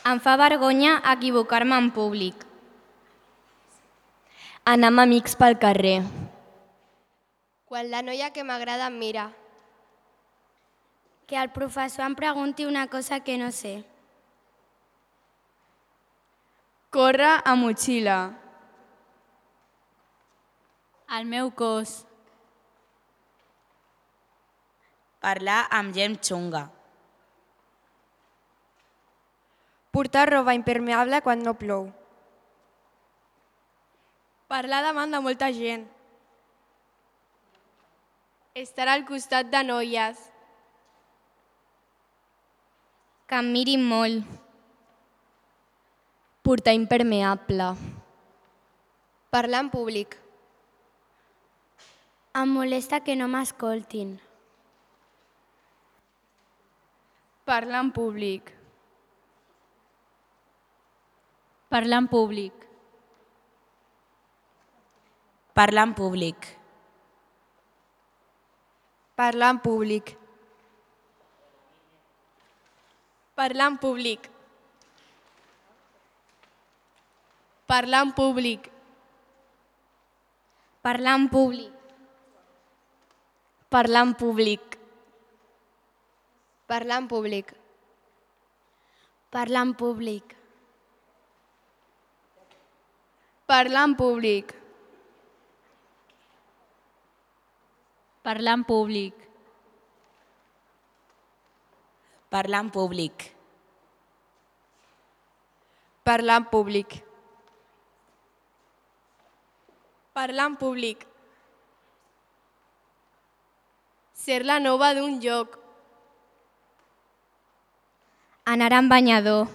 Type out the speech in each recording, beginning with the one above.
Em fa vergonya equivocar-me en públic. Anar amb amics pel carrer. Quan la noia que m'agrada em mira. Que el professor em pregunti una cosa que no sé. Córrer a motxilla. El meu cos. Parlar amb gent xunga. Portar roba impermeable quan no plou. Parlar davant de molta gent. Estar al costat de noies. Que em mirin molt. Portar impermeable. Parlar en públic. Em molesta que no m'escoltin. Parlar en públic. Parlar en públic. Parlar en públic. Parlar en públic. Parlar en públic. Parlar en públic. Parlar en públic. Parlar en públic. Parlar en públic. Parlar en públic. Parlar en públic. Parlar en públic. Parlar en públic. Parlar en públic. Parlar en públic. Ser la nova d'un lloc. Anar en banyador.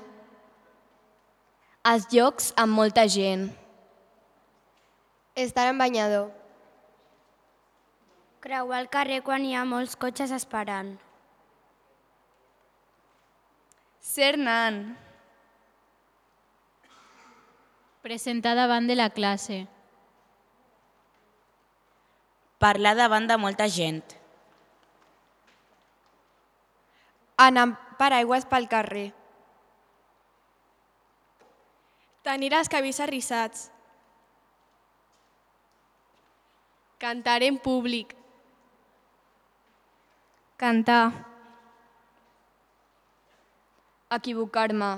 Els llocs amb molta gent. Estar en banyador. Creuar el carrer quan hi ha molts cotxes esperant. Ser nan. Presentar davant de la classe. Parlar davant de molta gent. Anar amb paraigües pel carrer. Tenir els cabells arrissats. Cantar en públic. Cantar. Equivocar-me.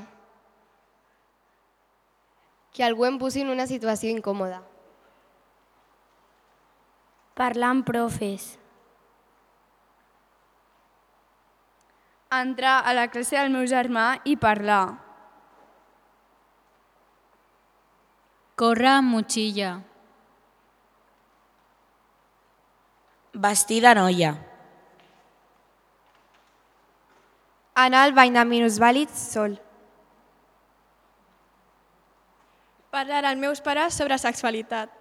Que algú em posi en una situació incòmoda. Parlar amb profes. Entrar a la classe del meu germà i parlar. Córrer amb motxilla. Vestir de noia. Anar al bany de minusvàlids sol. Parlar als meus pares sobre sexualitat.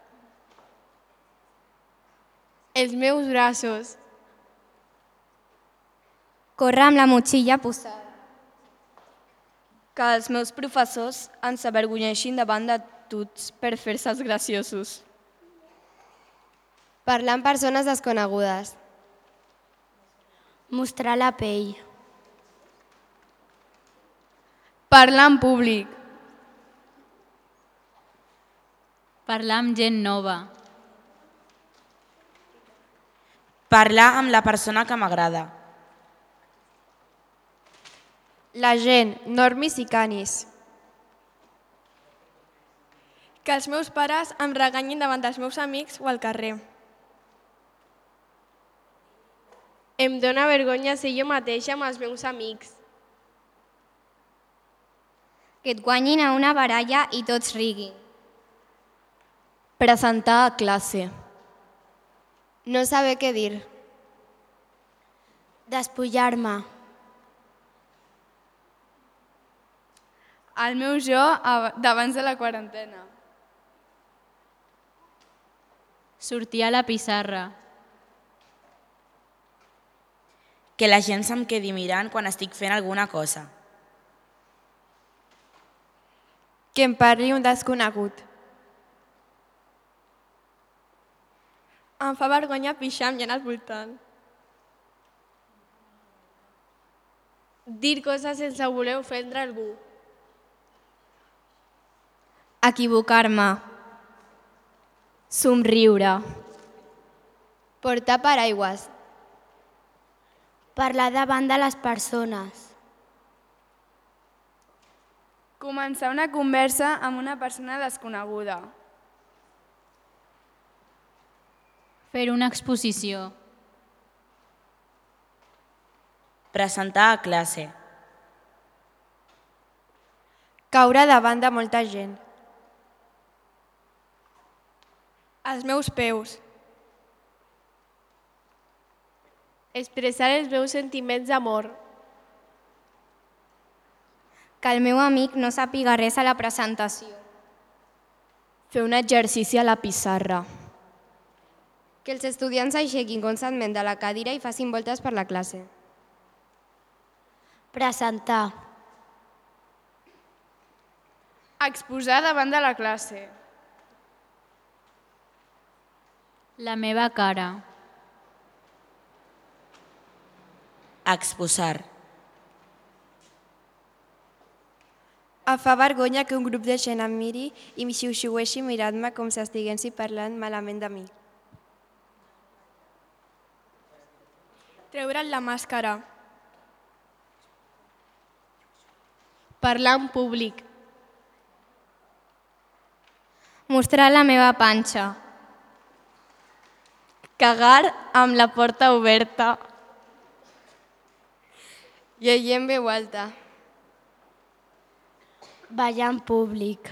Els meus braços. Córrer amb la motxilla posada. Que els meus professors ens avergonyeixin davant de tots per fer-se els graciosos. Parlar amb persones desconegudes. Mostrar la pell. Parlar en públic. Parlar amb gent nova. Parlar amb la persona que m'agrada. La gent, normis i canis. Que els meus pares em reganyin davant dels meus amics o al carrer. Em dóna vergonya ser jo mateixa amb els meus amics. Que et guanyin a una baralla i tots riguin. Presentar a classe. No saber què dir. Despullar-me. El meu jo d'abans de la quarantena. Sortir a la pissarra. Que la gent se'm quedi mirant quan estic fent alguna cosa. Que em parli un desconegut. Em fa vergonya pixar amb gent al voltant. Dir coses sense voler ofendre algú. Equivocar-me. Somriure. Portar paraigües. Parlar davant de les persones. Començar una conversa amb una persona desconeguda. Fer una exposició. Presentar a classe. Caure davant de molta gent. Els meus peus. Expressar els meus sentiments d'amor. Que el meu amic no sàpiga res a la presentació. Fer un exercici a la pissarra. Que els estudiants aixequin constantment de la cadira i facin voltes per la classe. Presentar. Exposar davant de la classe. La meva cara. Exposar. Em fa vergonya que un grup de gent em miri i m'hi xiuxiueixi mirant-me com si estiguessin parlant malament de mi. Treure'n la màscara. Parlar en públic. Mostrar la meva panxa. Cagar amb la porta oberta. Llegir en veu alta. Ballar en públic.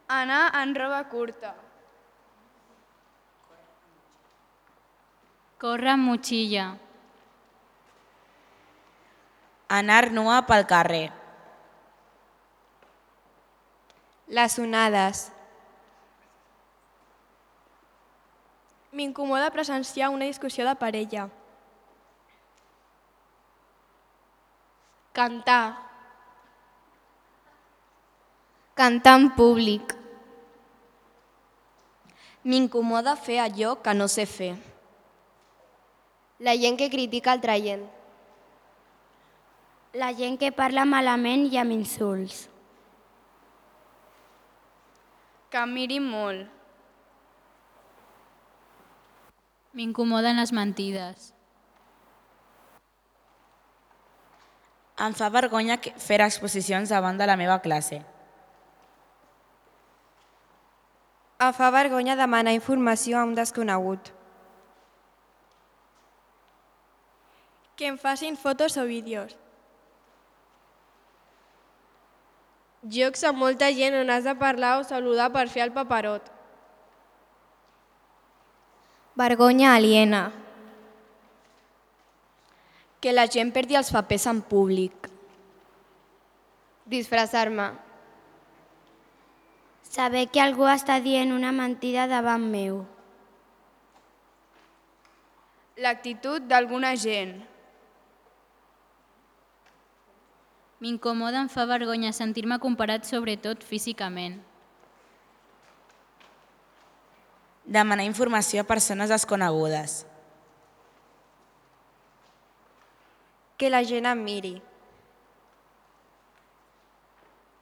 Anar en roba curta. Córrer amb motxilla. Anar nua pel carrer. Les onades. M'incomoda presenciar una discussió de parella. Cantar. Cantar en públic. M'incomoda fer allò que no sé fer. La gent que critica altra gent. La gent que parla malament i amb insults. Que em mirin molt. M'incomoden les mentides. Em fa vergonya fer exposicions davant de la meva classe. Em fa vergonya demanar informació a un desconegut. Que em facin fotos o vídeos. Jocs amb molta gent on has de parlar o saludar per fer el paperot. Vergonya aliena. Que la gent perdi els papers en públic. Disfressar-me. Saber que algú està dient una mentida davant meu. L'actitud d'alguna gent. M'incomoda, em fa vergonya sentir-me comparat sobretot físicament. Demanar informació a persones desconegudes. Que la gent em miri.